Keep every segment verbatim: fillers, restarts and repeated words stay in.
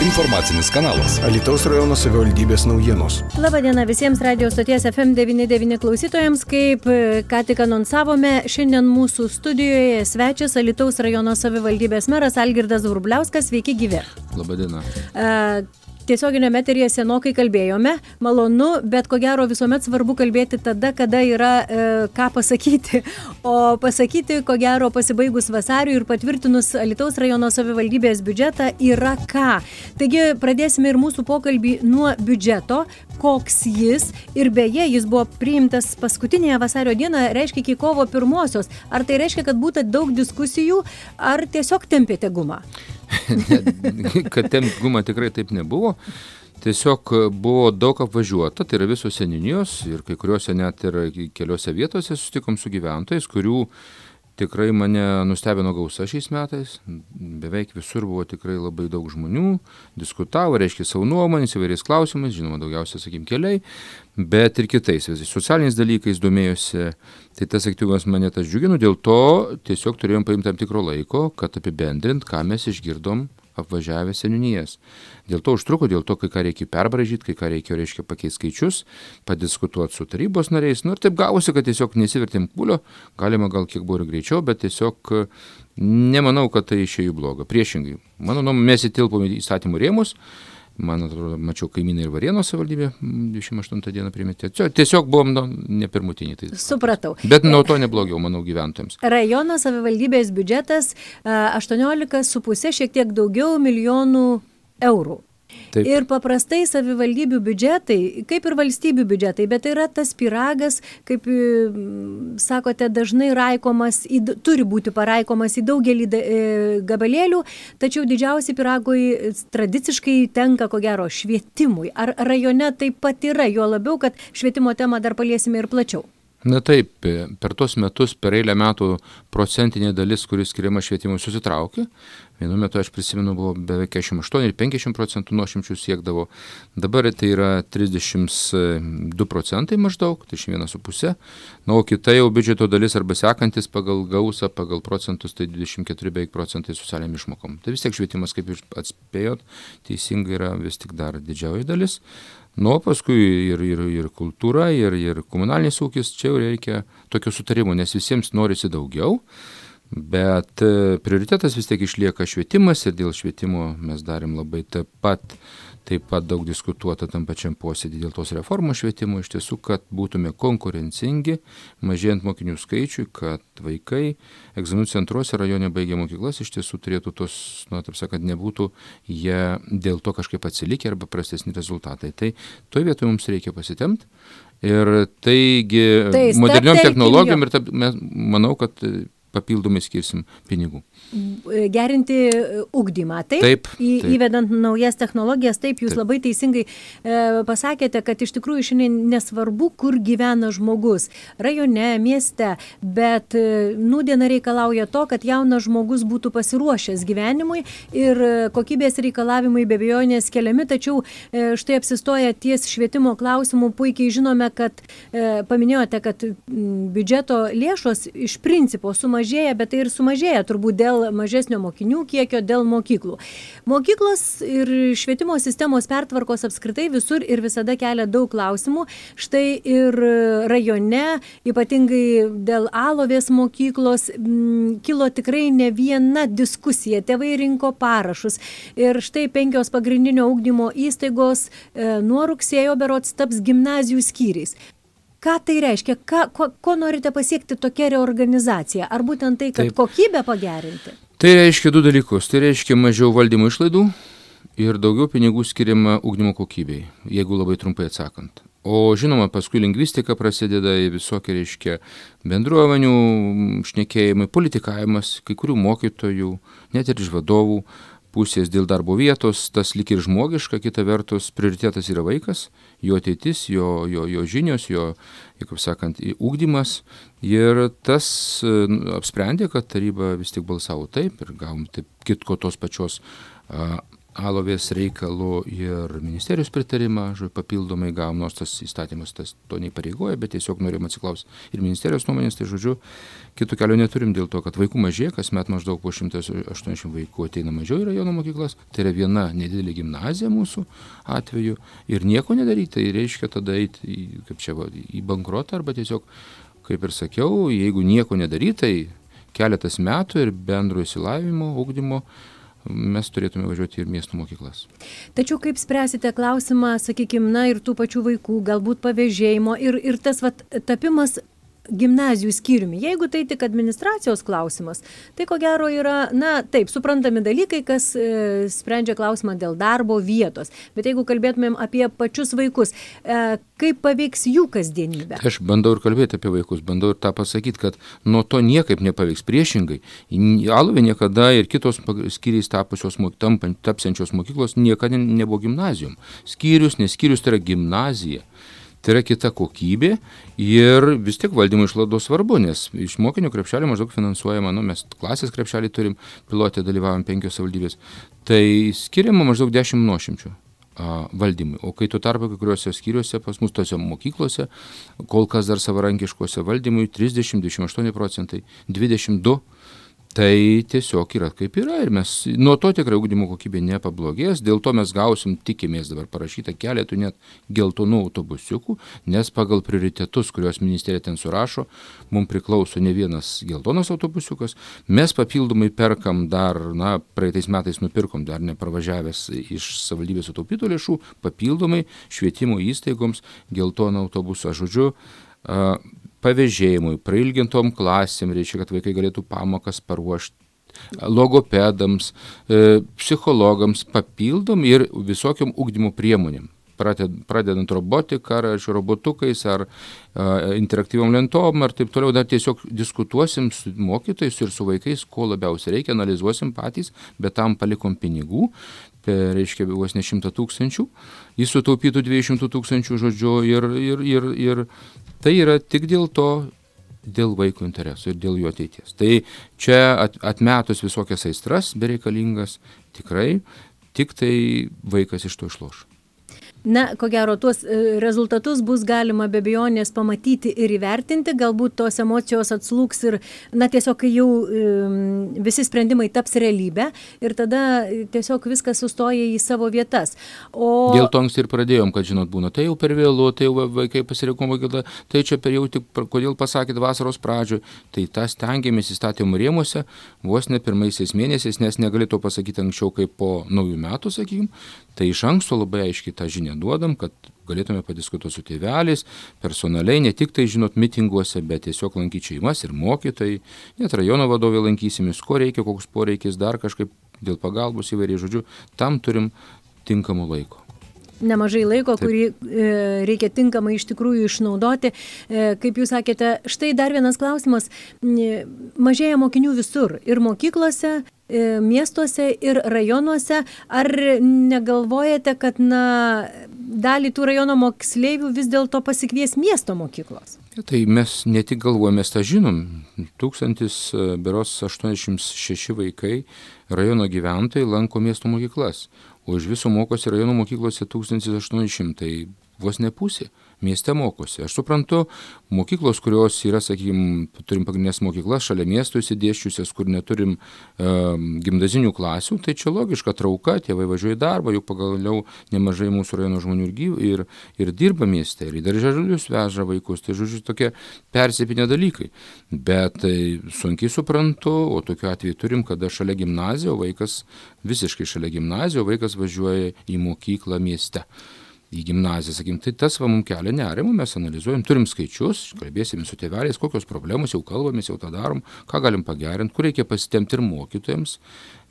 informacinis kanalas. Alytaus rajono savivaldybės naujienos. Labadiena visiems radio stoties F M devyni devyni klausytojams. Kaip ką tik anonsavome, šiandien mūsų studijoje svečias Alytaus rajono savivaldybės meras Algirdas Vrubliauskas. Sveiki gyvi. Labadiena. Uh, Tiesioginio eteryje senokai kalbėjome, malonu, bet ko gero visuomet svarbu kalbėti tada, kada yra e, ką pasakyti. O pasakyti, ko gero, pasibaigus vasariui ir patvirtinus Alytaus rajono savivaldybės biudžetą yra ką. Taigi pradėsime ir mūsų pokalbį nuo biudžeto, koks jis. Ir beje, jis buvo priimtas paskutinėje vasario dieną, reiškia iki kovo pirmosios. Ar tai reiškia, kad būtų daug diskusijų, ar tiesiog tempėte gumą? Kad tempt gumą tikrai taip nebuvo. Tiesiog buvo daug apvažiuota, tai yra visos seniūnijos ir kai kuriuose net ir keliose vietose susitikom su gyventojais, kurių tikrai mane nustebino gausa šiais metais. Beveik visur buvo tikrai labai daug žmonių, diskutavo, reiškia savo nuomonės įvairiais klausimais, žinoma, daugiausia, sakykim, keliai, bet ir kitais, visais socialiniais dalykais domėjosi. Tai tas aktyvumas mane tas džiugino, dėl to tiesiog turėjom paimti tam tikro laiko, kad apibendrint, ką mes išgirdom apvažiavę seniūnijas. Dėl to užtruko, dėl to, kai ką reikia perbražyti, kai ką reikia, reiškia, pakeisti skaičius, padiskutuoti su tarybos nariais. Nu ir taip gavosi, kad tiesiog nesivertėm pulio, galima gal kiek buvo ir greičiau, bet tiesiog nemanau, kad tai išėjo blogą. Priešingai, mano nuomonė, mes įtilpom į įstatymų rėmus. Man atrodo, mačiau kaimynai ir Varėnos savivaldybė dvidešimt aštuntą dieną primetė. Tiesiog buvom nu, ne pirmutiniai. Tai Supratau. Bet nuo to neblogiau, manau, gyventojams. Rajono savivaldybės biudžetas aštuoniolika su puse, šiek tiek daugiau milijonų eurų. Taip. Ir paprastai savivaldybių biudžetai, kaip ir valstybių biudžetai, bet tai yra tas pyragas, kaip sakote, dažnai raikomas, į, turi būti paraikomas į daugelį gabalėlių, tačiau didžiausiai pyragui tradiciškai tenka, ko gero, švietimui. Ar rajone taip pat yra, jo labiau, kad švietimo temą dar paliesime ir plačiau? Na taip, per tos metus, per eilę metų procentinė dalis, kuris skiriama švietimui, susitraukė. Vienu metu, aš prisimenu, buvo beveik keturiasdešimt aštuoni ir penkiasdešimt procentų nuošimčių siekdavo. Dabar tai yra trisdešimt du procentai maždaug, trisdešimt vienas su puse. Na, o kita jau biudžeto dalis arba sekantis pagal gausą, pagal procentus, tai dvidešimt keturi beveik procentai socialiniam išmokom. Tai vis tiek švietimas, kaip jūs atspėjot, teisingai yra vis tik dar didžioji dalis. Nu, paskui ir, ir, ir kultūra, ir, ir komunalinis ūkis, čia jau reikia tokio sutarimo, nes visiems norisi daugiau, bet prioritetas vis tiek išlieka švietimas ir dėl švietimo mes darėm labai taip pat, taip pat daug diskutuota tam pačiam posėdį dėl tos reformos švietimo, iš tiesų, kad būtume konkurencingi, mažėjant mokinių skaičiui, kad vaikai egzaminų centruose rajone baigę mokyklas iš tiesų turėtų tos, na, taip sakant, nebūtų jie dėl to kažkaip atsilikę arba prastesni rezultatai. Tai toje vietoje mums reikia pasitemti ir taigi tai moderniom technologijom ir ta, mes, manau, kad papildomai skirsim pinigų. Gerinti ugdymą, taip? Taip, į, taip. Įvedant naujas technologijas, taip, jūs taip. labai teisingai e, pasakėte, kad iš tikrųjų šiandien nesvarbu, kur gyvena žmogus, rajone, mieste, bet e, nūdiena reikalauja to, kad jaunas žmogus būtų pasiruošęs gyvenimui ir kokybės reikalavimai be abejonės keliami, tačiau e, štai apsistoja ties švietimo klausimų, puikiai žinome, kad e, paminėjote, kad m, biudžeto lėšos iš principo sumažėja, bet tai ir sumažėja turbūt dėl mažesnio mokinių kiekio, dėl mokyklų. Mokyklos ir švietimo sistemos pertvarkos apskritai visur ir visada kelia daug klausimų. Štai ir rajone, ypatingai dėl Alovės mokyklos, m, kilo tikrai ne viena diskusija. Tėvai rinko parašus. Ir štai penkios pagrindinio ugdymo įstaigos e, nuo rugsėjo berods taps gimnazijų skyriais. Ką tai reiškia? Ką, ko, ko norite pasiekti tokia reorganizacija? Ar būtent tai, kad Taip. kokybę pagerinti? Tai reiškia du dalykus. Tai reiškia mažiau valdymo išlaidų ir daugiau pinigų skiriama ugdymo kokybei, jeigu labai trumpai atsakant. O žinoma, paskui lingvistika prasideda visokie, reiškia, bendruomenių šnekėjimai, politikavimas, kai kurių mokytojų, net ir iš vadovų pusės dėl darbo vietos, tas lyg ir žmogiška, kita vertus prioritetas yra vaikas, jo ateitis, jo, jo, jo žinios, jo, kaip sakant, ugdymas. Ir tas apsprendė, kad taryba vis tik balsavo taip ir gavom taip kitko tos pačios a, Alovės reikalo ir ministerijos pritarimą, žodžiu, papildomai gavom, nors tas įstatymas tas to neįpareigoja, bet tiesiog norim atsiklausti ir ministerijos nuomonės, tai žodžiu, kitų kelio neturim dėl to, kad vaikų mažėja, kasmet maždaug po šimtas aštuoniasdešimt vaikų ateina mažiau į rajono mokyklas, tai yra viena nedidelė gimnazija mūsų atveju ir nieko nedaryti, tai reiškia tada eiti į, kaip čia, va, į bankrotą arba tiesiog, kaip ir sakiau, jeigu nieko nedaryti, tai keletas metų ir bendro išsilavinimo, ugdymo mes turėtume važiuoti ir miestų mokyklas. Tačiau kaip spręsite klausimą, sakykime, na ir tų pačių vaikų, galbūt pavėžėjimo ir, ir tas vat, tapimas gimnazijų skyriumi. Jeigu tai tik administracijos klausimas, tai ko gero yra, na taip, suprantami dalykai, kas e, sprendžia klausimą dėl darbo vietos. Bet jeigu kalbėtumėm apie pačius vaikus, e, kaip paveiks jų kasdienybę? Aš bandau ir kalbėti apie vaikus, bandau ir tą pasakyti, kad nuo to niekaip nepaveiks. Priešingai, Alovė niekada ir kitos skyriais tapusios, tampant, tapsiančios mokyklos niekada nebuvo gimnazijom. Skyrius, neskyrius, tai yra gimnazija. Tai yra kita kokybė ir vis tiek valdymo išlaidos svarbu, nes iš mokinių krepšelį maždaug finansuojama, nu, mes klasės krepšelį turim, pilotė dalyvavom penkios savivaldybės, tai skiriama maždaug dešimt nuošimčių a, valdymui. O kai tuo tarpu kai kuriuose skyriuose, pas mus tose mokyklose, kol kas dar savarankiškose valdymui trisdešimt, dvidešimt aštuoni procentai, dvidešimt du. Tai tiesiog yra kaip yra ir mes nuo to tikrai ugdymo kokybė nepablogės, dėl to mes gausim, tikimės dabar parašyta keletų net geltonų autobusiukų, nes pagal prioritetus, kuriuos ministerija ten surašo, mums priklauso ne vienas geltonas autobusiukas, mes papildomai perkam dar, na, praeitais metais nupirkom dar nepravažiavęs iš savivaldybės sutaupytų lėšų, papildomai švietimo įstaigoms geltoną autobusą, žodžiu, uh, pavėžėjimui, prailgintom klasėm, reiškia, kad vaikai galėtų pamokas paruošti, logopedams, e, psichologams, papildom ir visokiom ugdymo priemonėm. Pradedant robotiką, ar robotukais, ar a, interaktyviom lentom, ar taip toliau, dar tiesiog diskutuosim su mokytojais ir su vaikais, ko labiausiai reikia, analizuosim patys, bet tam palikom pinigų, per, reiškia, vos ne šimtą tūkstančių, jis sutaupytų dviejų šimtų tūkstančių, žodžiu, ir, ir, ir, ir tai yra tik dėl to, dėl vaiko interesų ir dėl jų ateities. Tai čia at, atmetus visokias aistras bereikalingas, tikrai tik tai vaikas iš to išloš. Na, ko gero, tuos rezultatus bus galima be abejonės pamatyti ir įvertinti, galbūt tos emocijos atslūgs ir, na, tiesiog, kai jau um, visi sprendimai taps realybė ir tada tiesiog viskas sustoja į savo vietas. O... Dėl to anksti ir pradėjom, kad, žinot, būna, tai jau per vėlu, tai jau vaikai pasirinko mokyklą, tai čia per jau tik, kodėl pasakėt vasaros pradžioje, tai tas stengiamės įstatymų rėmuose vos ne pirmaisiais mėnesiais, nes negali to pasakyti anksčiau kaip po naujų metų, sakykim, tai iš anksto labai aiškiai tą žinią duodam, kad galėtume padiskutuoti su tėveliais, personaliai, ne tik tai, žinot, mitinguose, bet tiesiog lankyti šeimas ir mokytojai, net rajono vadovai lankysimės, ko reikia, koks poreikis, dar kažkaip dėl pagalbos įvairiai, žodžiu, tam turim tinkamų laiko. Nemažai laiko, Taip. kurį e, reikia tinkamai iš tikrųjų išnaudoti. E, kaip jūs sakėte, štai dar vienas klausimas. E, mažėja mokinių visur, ir mokyklose, e, miestuose, ir rajonuose. Ar negalvojate, kad, na, dalį tų rajono moksleivių vis dėlto pasikvies miesto mokyklos? Tai mes ne tik galvojame, mes tą žinom. Tūkstantis, beros aštuoniasdešimt šeši vaikai rajono gyventojai lanko miesto mokyklas. O iš viso mokosi rajono mokyklose tūkstantis aštuoni šimtai, vos ne pusė. Mieste mokosi. Aš suprantu, mokyklos, kurios yra, sakykime, turim pagrindinės mokyklas šalia miestų įsidėščiusias, kur neturim e, gimnazinių klasių, tai čia logiška trauka, tėvai važiuoja į darbą, juk pagaliau nemažai mūsų rajono žmonių ir, gyv, ir, ir dirba mieste, ir į darželius veža vaikus, tai žodžiu tokie persipinę dalykai. Bet tai sunkiai suprantu, o tokiu atveju turim, kada šalia gimnazijos, vaikas visiškai šalia gimnazijos, vaikas važiuoja į mokyklą mieste. Į gimnaziją, sakykim, tai tas va mums kelia nerimą, mes analizuojam, turim skaičius, kalbėsime su tėveliais, kokios problemos, jau kalbamės, jau tą darom, ką galim pagerinti, kur reikia pasitemti ir mokytojams.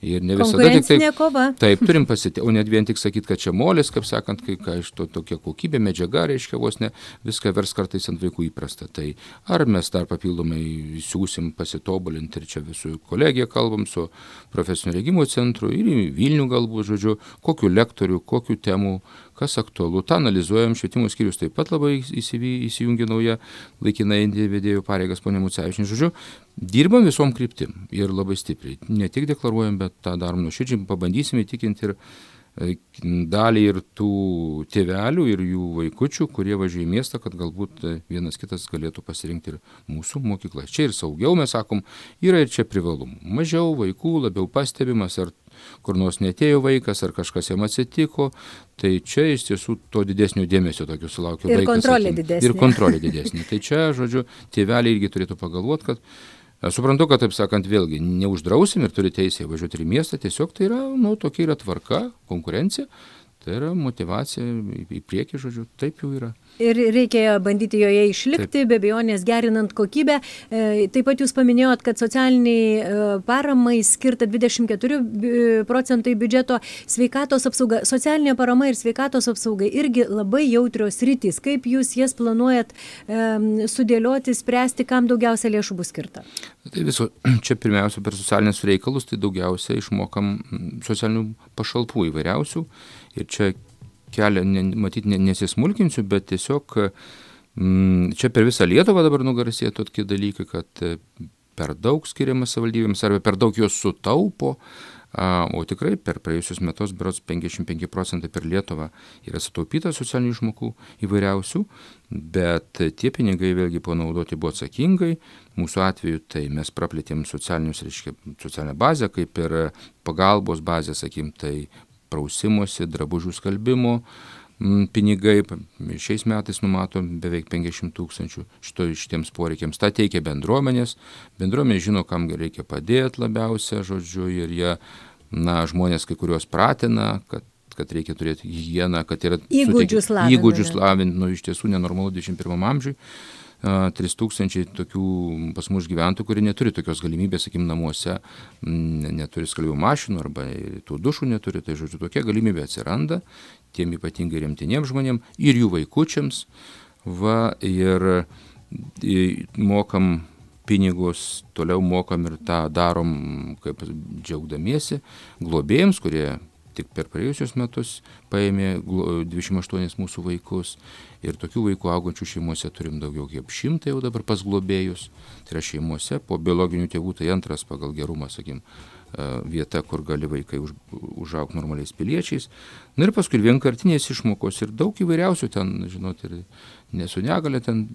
Ir ne visada tik taip, kova. Taip, turim pasitemti, o net vien tik sakyti, kad čia molis, kaip sakant, kai ką iš to tokia kokybė, medžiaga, reiškia vos ne, viską vers kartais ant vaikų įprasta. Tai ar mes dar papildomai siūsim pasitobulinti ir čia visų kolegija kalbam su profesinio rengimo centru ir į Vilnių galbūt, žodžiu, kokiu lektorių, kokiu temų, kas aktualu. Ta analizuojam, švietimo skyrius taip pat labai įsijungia nauja laikinai vedėjų pareigas ponė Mucevičienė. Žodžiu, dirbam visom kryptim ir labai stipriai. Ne tik deklaruojam, bet tą darom nuoširdžiai, pabandysim įtikinti ir dalį ir tų tėvelių, ir jų vaikučių, kurie važiuoja į miestą, kad galbūt vienas kitas galėtų pasirinkti ir mūsų mokyklas. Čia ir saugiau, mes sakom, yra ir čia privalumų. Mažiau vaikų, labiau pastebimas, ar kur nors netėjo vaikas, ar kažkas jam atsitiko, tai čia iš tiesų to didesnio dėmesio tokio sulaukia ir vaikas. Kontrolė didesnė. Ir kontrolė didesnė. Tai čia, žodžiu, tėveliai irgi turėtų pagalvoti, kad aš suprantu, kad, taip sakant, vėlgi neuždrausim ir turi teisę važiuoti į miestą, tiesiog tai yra, nu, tokia yra tvarka, konkurencija, tai yra motyvacija į priekį, žodžiu, taip jau yra. Ir reikia bandyti joje išlikti, taip. Be abejonės gerinant kokybę. Taip pat jūs paminėjot, kad socialiniai paramai skirta dvidešimt keturi procentai biudžeto, sveikatos apsauga, socialinė parama ir sveikatos apsauga irgi labai jautrios sritys. Kaip jūs jas planuojat e, sudėlioti, spręsti, kam daugiausia lėšų bus skirta? Tai viso, čia pirmiausia per socialinius reikalus, tai daugiausia išmokam socialinių pašalpų įvairiausių ir čia kelią, ne, matyt, ne, nesismulkinsiu, bet tiesiog m, čia per visą Lietuvą dabar nugarsėja tokie dalykai, kad per daug skiriama savivaldybėms arba per daug jos sutaupo, a, o tikrai per praėjusius metus berods penkiasdešimt penki procentai per Lietuvą yra sutaupyta socialinių išmokų įvairiausių, bet tie pinigai vėlgi panaudoti buvo atsakingai. Mūsų atveju tai mes praplėtėm socialinius, reiškia, socialinę bazę, kaip ir pagalbos bazę, sakykim, tai prausimosi, drabužių skalbimo pinigai. Šiais metais numato beveik penkiasdešimt tūkstančių šito, šitiems poreikiams. Ta teikia bendruomenės. Bendruomenė žino, kam reikia padėti labiausia, žodžiu, ir jie, na, žmonės kai kurios pratina, kad kad reikia turėti higieną, kad yra įgūdžius lavinti. Įgūdžius lavinti, nu, iš tiesų nenormalu dvidešimt pirmam amžiui. trys tūkstančiai tokių pas mus gyventojų, kurie neturi tokios galimybės, sakykim, namuose, neturi skalbimo mašinų arba tų dušų neturi, tai žodžiu, tokia galimybė atsiranda tiem ypatingai rimtiniems žmonėms ir jų vaikučiams, va, ir mokam pinigus, toliau mokam ir tą darom, kaip džiaugdamiesi, globėjams, kurie tik per praėjusius metus paėmė dvidešimt aštuonis mūsų vaikus ir tokių vaikų augančių šeimose turim daugiau kaip šimtą jau dabar pas globėjus. Tai yra šeimose, po biologinių tėvų tai antras pagal gerumą, sakykim, vieta, kur gali vaikai už, užaugti normaliais piliečiais. Na ir paskui vienkartinės išmokos ir daug įvairiausių ten, žinot, ir nesu negalė, ten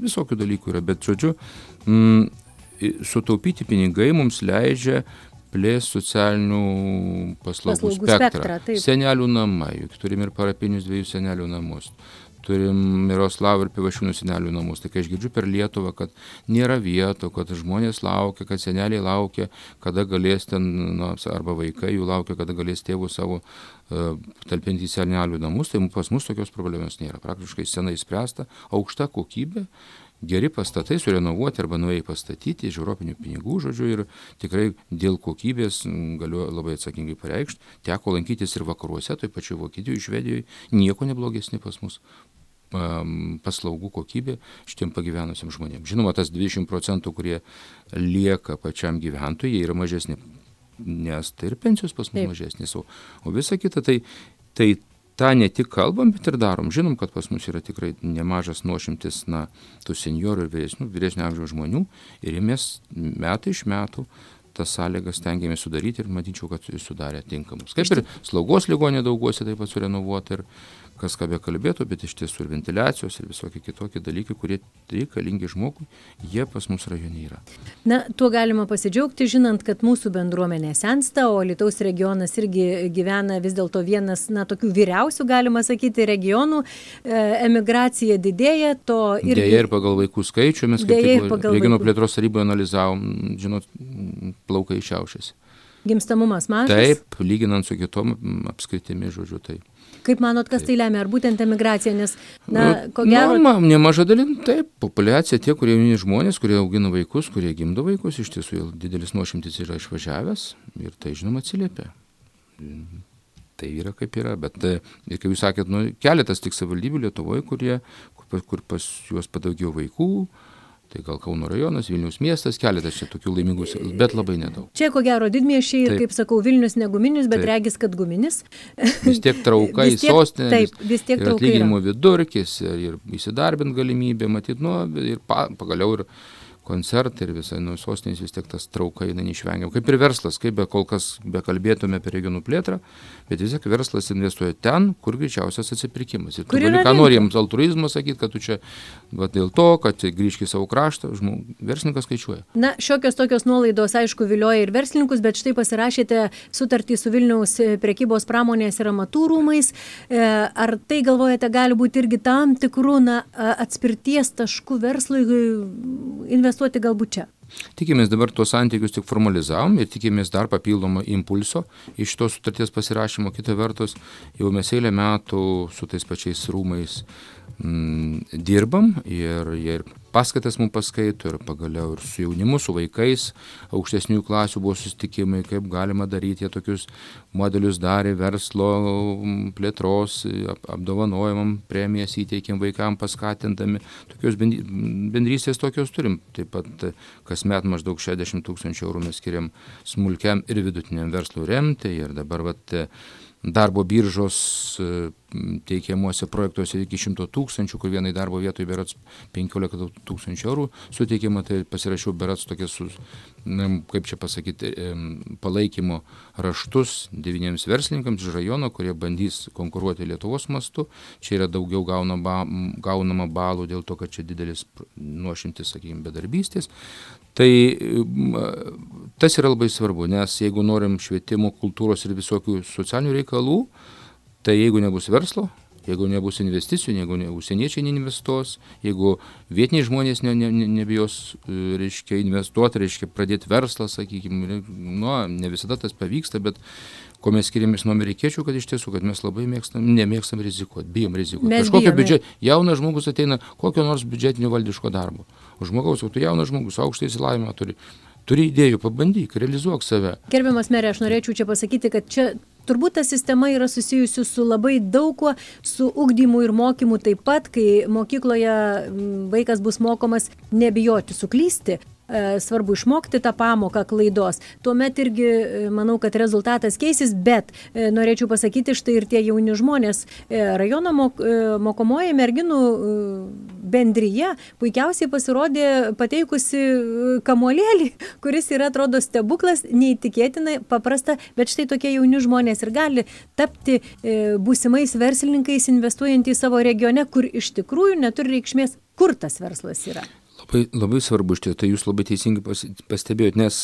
visokių dalykų yra, bet žodžiu, m, sutaupyti pinigai mums leidžia plės socialinių paslaugų, paslaugų spektrą. spektrą senelių namai, juk turim ir parapinius dviejų senelių namus, turim Miroslavų ir Pivašiūnų senelių namus. Tai kai aš girdžiu per Lietuvą, kad nėra vietų, kad žmonės laukia, kad seneliai laukia, kada galės ten, na, arba vaikai jų laukia, kada galės tėvų savo uh, talpinti į senelių namus, tai pas mus tokios problemos nėra. Praktiškai senai spręsta, aukšta kokybė, geri pastatai surenovuoti arba naujai pastatyti iš europinių pinigų, žodžiu, ir tikrai dėl kokybės galiu labai atsakingai pareikšti. Teko lankytis ir vakaruose, tai pačiu Vokietijoje, Švedijoje, nieko neblogesni pas mus um, paslaugų kokybė šitiem pagyvenusiam žmonėms. Žinoma, tas dvidešimt procentų, kurie lieka pačiam gyventojui, jie yra mažesni, nes tai ir pensijos pas mus mažesnės, o, o visa kita, tai, tai tą ne tik kalbam, bet ir darom. Žinom, kad pas mus yra tikrai nemažas nuošimtis, na, tų seniorų ir vyresnių, vyresnio amžiaus žmonių ir mes metai iš metų tas sąlygas stengiamės sudaryti ir matyčiau, kad sudarė tinkamus. Kaip ir slaugos ligoninė dauguose taip pat surenovuota ir kas ką be kalbėtų, bet iš tiesų ir ventiliacijos ir visokie kitokie dalykai, kurie reikalingi žmogui, jie pas mus rajone yra. Na, tuo galima pasidžiaugti, žinant, kad mūsų bendruomenė sensta, o Alytaus regionas irgi gyvena vis dėlto vienas, na, tokių vyriausių, galima sakyti, regionų, e, emigracija didėja, to irgi... Dėja ir pagal vaikų skaičių, mes kaip tik regionų plėtros taryboje analizavom, žinot, plaukai šiaušiasi. Gimstamumas mažas? Taip, lyginant su kitom apskritimi, žodžiu, taip. Kaip manot, kas tai lemia? Ar būtent emigracija? Nes, na, ko gero... Na, nemaža dalim, taip, populiacija, tie, kurie jauni žmonės, kurie augina vaikus, kurie gimdo vaikus, iš tiesų didelis nuošimtis yra išvažiavęs ir tai, žinoma, atsiliepia. Tai yra kaip yra, bet, ir kaip jūs sakėt, nu, keletas tik savivaldybių Lietuvoje, kurie, kur, kur pas juos padaugėjo vaikų, tai gal Kauno rajonas, Vilniaus miestas, keletas čia tokių laimingų, bet labai nedaug. Čia ko gero didmiesčiai ir, kaip sakau, Vilnius ne guminis, bet taip. Regis, kad guminis. Vis tiek trauka į sostinę, taip, vis tiek ir atlyginimo vidurkis, ir, ir įsidarbint galimybė, matyt, nu, ir pa, pagaliau ir koncertai ir visai nuo sostinės vis tiek tas trauka jinai neišvengiama. Kaip ir verslas, kaip be kol kas bekalbėtume apie regionų plėtrą, bet vis tiek verslas investuoja ten, kur greičiausias atsipirkimas. Ir tu gali, ką nori jiems altruizmo sakyti, kad tu čia va, dėl to, kad grįžk į savo kraštą, žmog, verslininkas skaičiuoja. Na, šiokios tokios nuolaidos, aišku, vilioja ir verslininkus, bet štai pasirašėte sutartį su Vilniaus prekybos pramonės ir amatų rūmais. Ar tai, galvojate, gali būti irgi tam tikrų na, atspirties taškų verslui investuoti galbūt čia? Tikimės dabar tuos santykius tik formalizavom ir tikimės dar papildomą impulso iš tos sutarties pasirašymo. Kita vertus, jau mes eilę metų su tais pačiais rūmais mm, dirbam ir jie ir paskaitas mums paskaito ir pagaliau ir su jaunimu, su vaikais, aukštesnių klasių buvo susitikimai, kaip galima daryti, jie tokius modelius darė, verslo plėtros, apdovanojimam premijas įteikėm vaikam paskatindami, tokios bendrystės tokios turim. Taip pat kasmet maždaug šešiasdešimt tūkstančių eurų mes skiriam smulkiam ir vidutiniam verslui remti ir dabar vat, darbo biržos teikiamuose projektuose iki šimto tūkstančių, kur vienai darbo vietoj berats penkiolika tūkstančių eurų suteikiama, tai pasirašiau berats tokias, kaip čia pasakyti, palaikymo raštus devyniems verslininkams iš rajono, kurie bandys konkuruoti Lietuvos mastu. Čia yra daugiau gaunama, gaunama balų dėl to, kad čia didelis nuošimtis, sakykime, bedarbystės. Tai tas yra labai svarbu, nes jeigu norim švietimo, kultūros ir visokių socialinių reikalų, tai jeigu nebus verslo, jeigu nebus investicijų, jeigu ne, užsieniečiai neinvestuos, jeigu vietiniai žmonės ne, ne, ne, nebijos, reiškia, investuoti, reiškia, pradėti verslą, sakykime, nu, ne visada tas pavyksta, bet ko mes skiriamės nuo amerikiečių, kad iš tiesų, kad mes labai mėgstam, nemėgstam rizikuoti, bijom rizikuoti. Kažkokio biudžet, jaunas žmogus ateina kokio nors biudžetinio valdiško darbo. O žmogaus, o tu jaunas žmogus, aukštą išsilavinimą turi, turi idėjų, pabandyk, realizuok save. Gerbiamas merė, aš norėčiau čia pasakyti, kad čia turbūt ta sistema yra susijusi su labai daug kuo, su ugdymu ir mokymu taip pat, kai mokykloje vaikas bus mokomas nebijoti suklysti. Svarbu išmokti tą pamoką klaidos. Tuomet irgi manau, kad rezultatas keisis, bet norėčiau pasakyti, štai ir tie jauni žmonės. Rajono mok, mokomoji merginų bendryje puikiausiai pasirodė pateikusi kamuolėlį, kuris yra, atrodo, stebuklas, neįtikėtinai paprasta, bet štai tokie jauni žmonės ir gali tapti būsimais verslininkais, investuojant į savo regione, kur iš tikrųjų neturi reikšmės, kur tas verslas yra. Labai, labai svarbu iš tiesų, tai jūs labai teisingai pastebėjot, nes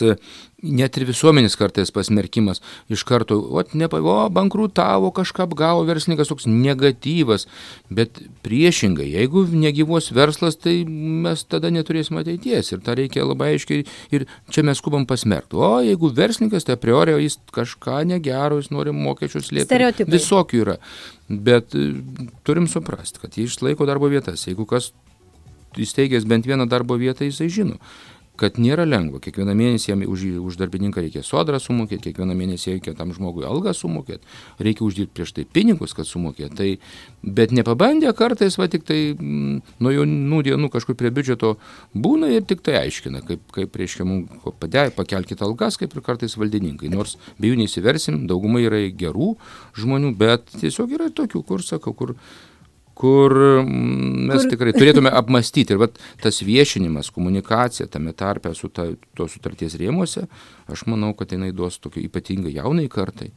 net ir visuomenės kartais pasmerkimas iš karto, o, nepa, o bankrutavo, kažką apgavo, verslininkas toks negatyvas, bet priešingai, jeigu negyvos verslas, tai mes tada neturėsime ateities ir tą reikia labai aiškiai ir čia mes skubam pasmerkti. O jeigu verslininkas, tai a priori jis kažką negero, jis nori mokesčius slėpti. Stereotipai. Visokių yra, bet turim suprasti, kad jie išlaiko darbo vietas, jeigu kas įsteigęs bent vieną darbo vietą, jisai žino, kad nėra lengva. Kiekvieną mėnesį jam už, už darbininką reikia sodrą sumokėti, kiekvieną mėnesį reikia tam žmogui algą sumokėti, reikia uždirbti prieš tai pinigus, kad sumokėti. Tai, bet nepabandė kartais, va tik tai m, nuo jaunų dienų kažkur prie biudžeto būna ir tik tai aiškina, kaip, kaip reiškia mums padė, pakelkite algas, kaip ir kartais valdininkai. Nors be jų neįsiversim, daugumai yra gerų žmonių, bet tiesiog yra tokių, kur sakau, kur kur mes kur... tikrai turėtume apmastyti. Ir vat, tas viešinimas, komunikacija tame tarpe su ta, to sutarties rėmuose, aš manau, kad jinai duos tokio ypatingai jaunai kartai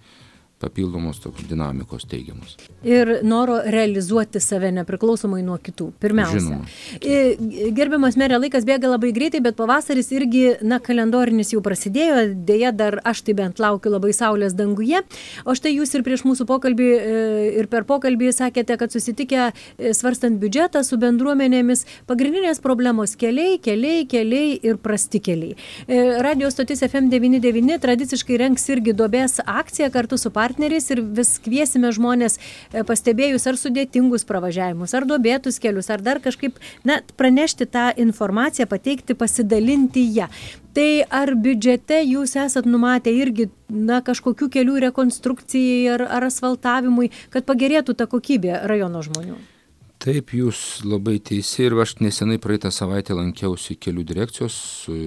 papildomos tokios dinamikos teigiamos. Ir noro realizuoti save nepriklausomai nuo kitų. Pirmiausia. Žinoma. Gerbiamas merė, laikas bėga labai greitai, bet pavasaris irgi, na, kalendorinis jau prasidėjo, dėja dar aš tai bent laukiu labai saulės danguje. O štai jūs ir prieš mūsų pokalbį ir per pokalbį sakėte, kad susitikę svarstant biudžetą su bendruomenėmis, pagrindinės problemos keliai, keliai, keliai ir prasti keliai. Radio stotis F M devyni devyni tradiciškai rengs irgi duobės akciją kartu su partneriais. partneriais ir vis kviesime žmonės pastebėjus ar sudėtingus pravažiavimus, ar duobėtus kelius, ar dar kažkaip, na, pranešti tą informaciją, pateikti, pasidalinti ją. Tai ar biudžete jūs esat numatę irgi, na, kažkokių kelių rekonstrukcijai ar, ar asfaltavimui, kad pagerėtų ta kokybė rajono žmonių? Taip, jūs labai teisi ir aš nesenai praeitą savaitę lankiausi kelių direkcijos,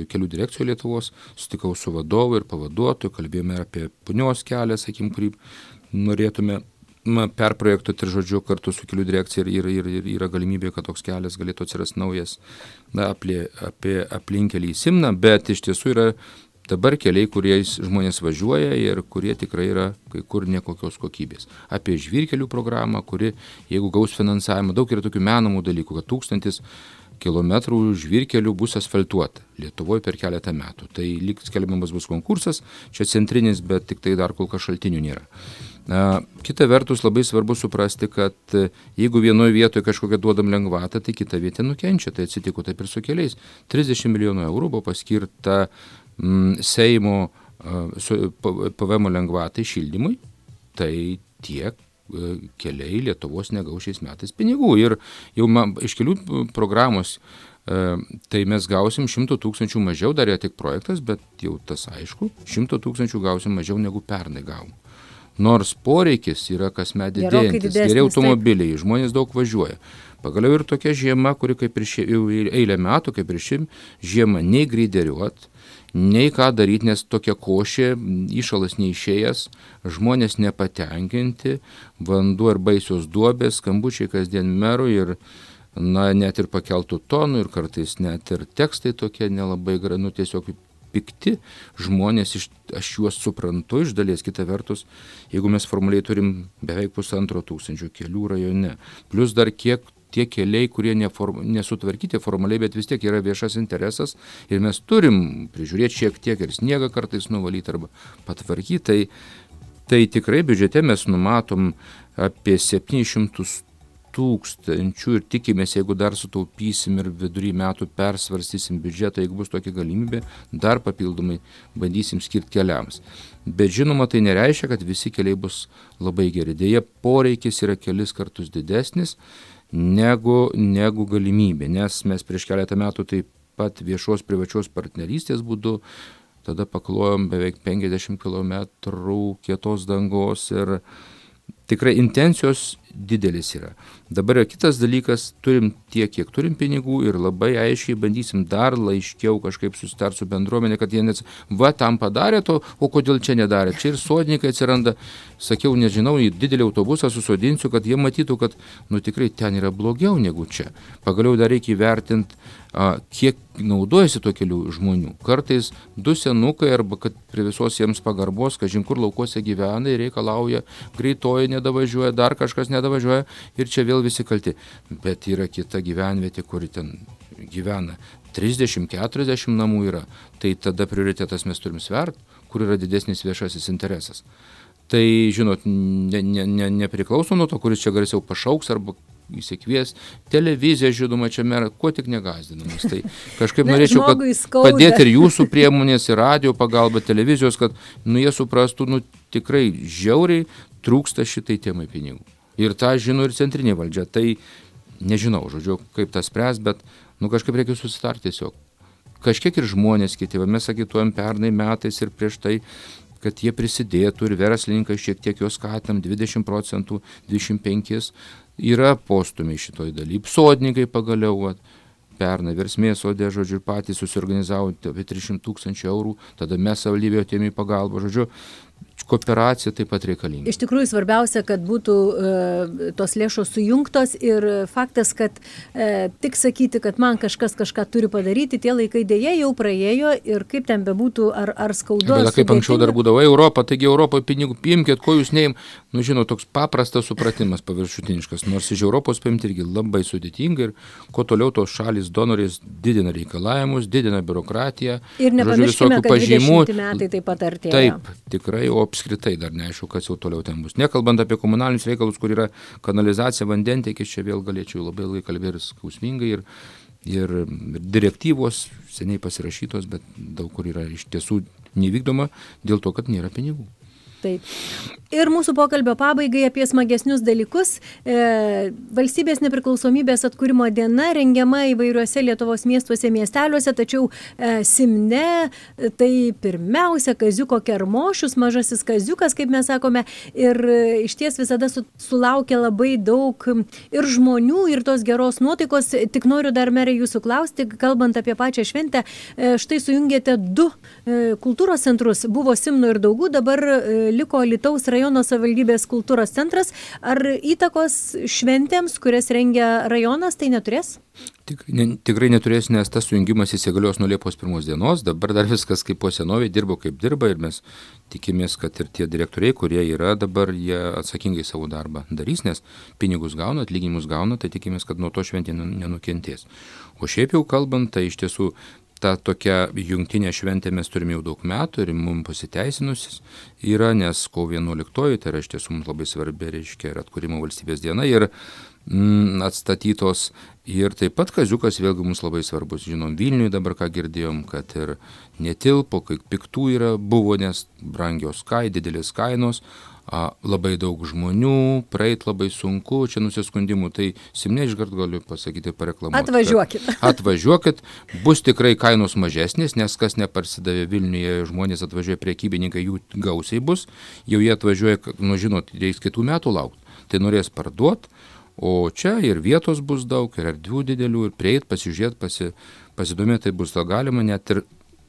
kelių direkcijų Lietuvos, sutikau su vadovu ir pavaduotoju, kalbėjome apie punios kelią, sakykim, kurį norėtume perprojektuoti ir žodžiu kartu su kelių direkcija ir, ir, ir yra galimybė, kad toks kelias galėtų atsirasti naujas na, apie, apie aplinkelį į Simną, bet iš tiesų yra dabar keliai, kuriais žmonės važiuoja ir kurie tikrai yra kai kur nekokios kokybės. Apie žvyrkelių programą, kuri, jeigu gaus finansavimą, daug yra tokių menamų dalykų, kad tūkstantis kilometrų žvyrkelių bus asfaltuota Lietuvoje per keletą metų. Tai lyg skelbiamas bus konkursas, čia centrinis, bet tik tai dar kol kas šaltinių nėra. Kita vertus labai svarbu suprasti, kad jeigu vienoje vietoje kažkokią duodam lengvatą, tai kita vieta nukenčia. Tai atsitiko taip ir su keliais. trisdešimt milijonų eurų buvo paskirta mm, Seimo uh, P V M lengvatai šildymui. Tai tiek uh, keliai Lietuvos negaus šiais metais pinigų. Ir jau man, iš kelių programos uh, tai mes gausim šimto tūkstančių mažiau, dar yra tik projektas, bet jau tas aišku, šimto tūkstančių gausim mažiau negu pernai gavom. Nors poreikis yra kasmet didėjantis, geri automobiliai, žmonės daug važiuoja. Pagaliau ir tokia žiema, kuri kaip ir šie, eilę metų, kaip ir ši žiema, nei greideriuot, nei ką daryti, nes tokia košė, įšalas neišėjęs, žmonės nepatenkinti, vanduo ir baisios duobės, skambučiai kasdien merų ir na, net ir pakeltų tonų ir kartais net ir tekstai tokie nelabai, nu tiesiog pikti žmonės, iš, aš juos suprantu iš dalies, kita vertus, jeigu mes formaliai turim beveik pusantro tūkstančio kelių rajone, plus dar kiek tie keliai, kurie neform, nesutvarkyti formaliai, bet vis tiek yra viešas interesas ir mes turim prižiūrėti šiek tiek ir sniegą kartais nuvalyti arba patvarkyti, tai, tai tikrai biudžete mes numatom apie septynis šimtus tūkstančių ir tikimės, jeigu dar sutaupysim ir vidury metų persvarstysim biudžetą, jeigu bus tokia galimybė, dar papildomai bandysim skirti keliams. Bet žinoma, tai nereiškia, kad visi keliai bus labai geri. Deja, poreikis yra kelis kartus didesnis negu, negu galimybė, nes mes prieš keletą metų taip pat viešos privačios partnerystės būdu tada paklojom beveik penkiasdešimt kilometrų kietos dangos ir tikrai intencijos didelis yra. Dabar yra kitas dalykas, turim tiek, kiek turim pinigų ir labai aiškiai bandysim dar laiškiau kažkaip susitarti su bendruomenė, kad jie net, va, tam padarė to, o kodėl čia nedarė. Čia ir sodininkai atsiranda, sakiau, nežinau, į didelį autobusą susodinsiu, kad jie matytų, kad, nu, tikrai ten yra blogiau negu čia. Pagaliau dar reikia įvertinti, a, kiek naudojasi to kelių žmonių. Kartais du senukai arba kad prie visos jiems pagarbos, kažin kur laukuose gyvena ir reikalauja, greitoji nedavažiuoja, dar kažkas nedavažiuoja ir čia vėl visi kalti. Bet yra kita gyvenvietė, kuri ten gyvena trisdešimt keturiasdešimt namų yra. Tai tada prioritetas mes turim svert, kur yra didesnis viešasis interesas. Tai, žinot, ne, ne, ne, nepriklauso nuo to, kuris čia garsiau pašauks arba įsikvies. Televizija, žinoma, čia mera, ko tik negazdinamas. Tai kažkaip ne, norėčiau, kad padėti ir jūsų priemonės, ir radio pagalba, televizijos, kad nu, jie suprastų, nu, tikrai žiauriai trūksta šitai temai pinigų. Ir tą žino ir centrinė valdžia. Tai nežinau, žodžiu, kaip tas spręs, bet nu, kažkaip reikia susitarti tiesiog. Kažkiek ir žmonės kiti, mes sakytuojam pernai metais ir prieš tai, kad jie prisidėtų ir verslininkai šiek tiek jos skatinam, dvidešimt procentų, dvidešimt penki yra postumiai šitoj daly. Sodininkai pagaliau, va, pernai Versmės sode, žodžiu, patys susiorganizavo apie tris šimtus tūkstančių eurų, tada mes savivaldybė atėjome į pagalbą, žodžiu, kooperacija taip pat reikalinga. Iš tikrųjų svarbiausia, kad būtų e, tos lėšos sujungtos ir faktas, kad e, tik sakyti, kad man kažkas kažką turi padaryti, tie laikai dėja jau praėjo ir kaip ten bebūtų, ar, ar skaudu. Bet kaip anksčiau dar būdavo Europą, taigi Europoje pinigų paimkit, ko jūs neim, nu žinot, toks paprastas supratimas paviršutiniškas, nors iš Europos paimti irgi labai sudėtinga ir kuo toliau tos šalys donorės didina reikalavimus, didina biurokratiją. Ir nepamirškime, kad dvidešimti metai taip pat artėja. Taip, tikrai, o apskritai dar neaišku, kas jau toliau ten bus. Nekalbant apie komunalinius reikalus, kur yra kanalizacija, vandentiekis, čia vėl galėčiau labai ilgai kalbėti skausmingai ir, ir, ir direktyvos seniai pasirašytos, bet daug kur yra iš tiesų nevykdoma dėl to, kad nėra pinigų. Taip. Ir mūsų pokalbio pabaigai apie smagesnius dalykus. E, valstybės nepriklausomybės atkūrimo diena rengiama įvairiuose Lietuvos miestuose, miesteliuose, tačiau e, Simne tai pirmiausia Kaziuko Kermošius, mažasis Kaziukas, kaip mes sakome, ir e, iš ties visada su, sulaukia labai daug ir žmonių, ir tos geros nuotaikos. Tik noriu dar, merai, jūsų klausti, kalbant apie pačią šventę, e, štai sujungėte du e, kultūros centrus, buvo Simno ir Daugų, dabar e, liko Alytaus rajono savivaldybės kultūros centras. Ar įtakos šventėms, kurias rengia rajonas, tai neturės? Tikrai, ne, tikrai neturės, nes tas sujungimas įsigalios nuo Liepos pirmos dienos, dabar dar viskas kaip po senovėje, dirbo kaip dirba ir mes tikimės, kad ir tie direktoriai, kurie yra dabar, jie atsakingai savo darbą darys, nes pinigus gauna, atlyginimus gauna, tai tikimės, kad nuo to šventė nenukentės. O šiaip jau kalbant, tai iš tiesų ta tokia jungtinė šventė mes turime jau daug metų ir mums pasiteisinusis yra, nes kovo vienuoliktoji, tai yra iš tiesų mums labai svarbi, reiškia, ir atkūrimo valstybės diena ir mm, atstatytos. Ir taip pat kaziukas vėlgi mums labai svarbus. Žinom, Vilniuje dabar ką girdėjom, kad ir netilpo, kai piktų yra buvo, nes brangios kai, didelės kainos, a, labai daug žmonių, praeit labai sunku, čia nusiskundimų, tai Simne iškart galiu pasakyti, pareklamuoti. Atvažiuokit. Atvažiuokit, bus tikrai kainos mažesnės, nes kas neparsidavė Vilniuje, žmonės atvažiuoja, prekybininkai, jų gausiai bus, jau jie atvažiuoja, nu žinot, reiks kitų metų laukti, tai norės parduoti. O čia ir vietos bus daug, ir erdvių didelių, ir prieit, pasižiūrėti, pasi, pasidomėti, tai bus to galima, net ir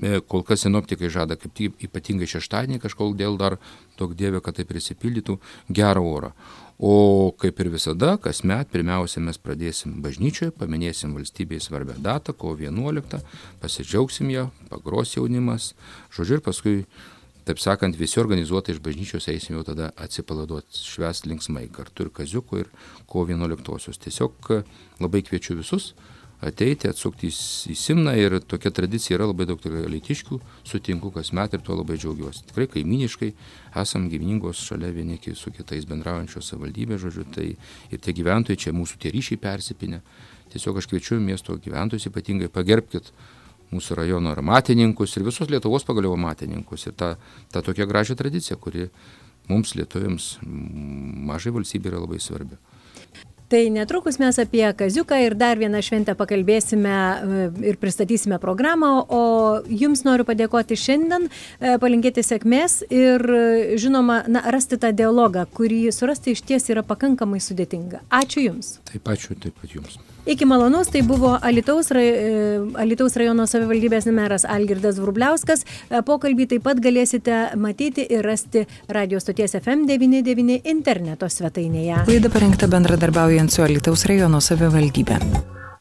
e, kol kas sinoptikai žada, kaip ypatingai šeštadienį kažkol dėl dar daug dievė, kad tai prisipildytų gerą orą. O kaip ir visada, kasmet, pirmiausia, mes pradėsim bažnyčioje, paminėsim valstybėje svarbią datą, kovo vienuoliktą, pasidžiaugsim ją, pagros jaunimas, žodžiu, ir paskui, taip sakant, visi organizuotai iš bažnyčios eisim jau tada atsipalaiduoti, švęsti linksmai kartu ir kaziuko ir kovo vienuoliktosios. Tiesiog labai kviečiu visus ateiti, atsukti į Simną ir tokia tradicija yra, labai daug alytiškių sutinku kasmet ir tuo labai džiaugiuosi. Tikrai kaimyniškai esam gyveningos šalia vieni su kitais bendraujančios savivaldybės, žodžiu, tai ir tie gyventojai, čia mūsų tie ryšiai persipinę. Tiesiog aš kviečiu miesto gyventojus ypatingai pagerbkit mūsų rajono amatininkus ir visos Lietuvos pagaliau amatininkus ir tą, tą tokią gražią tradiciją, kuri mums lietuviams mažai valstybė yra labai svarbi. Tai netrukus mes apie kaziuką ir dar vieną šventę pakalbėsime ir pristatysime programą, o jums noriu padėkoti šiandien, palinkėti sėkmės ir, žinoma, na, rasti tą dialogą, kurį surasti iš ties yra pakankamai sudėtinga. Ačiū Jums. Taip, ačiū, taip pat Jums. Iki malonus, tai buvo Alytaus, Alytaus rajono savivaldybės meras Algirdas Vrubliauskas. Pokalbį taip pat galėsite matyti ir rasti radio stoties F M devyni devyni interneto svetainėje. Laida parengta bendradarbiaujant su Alytaus rajono savivaldybė.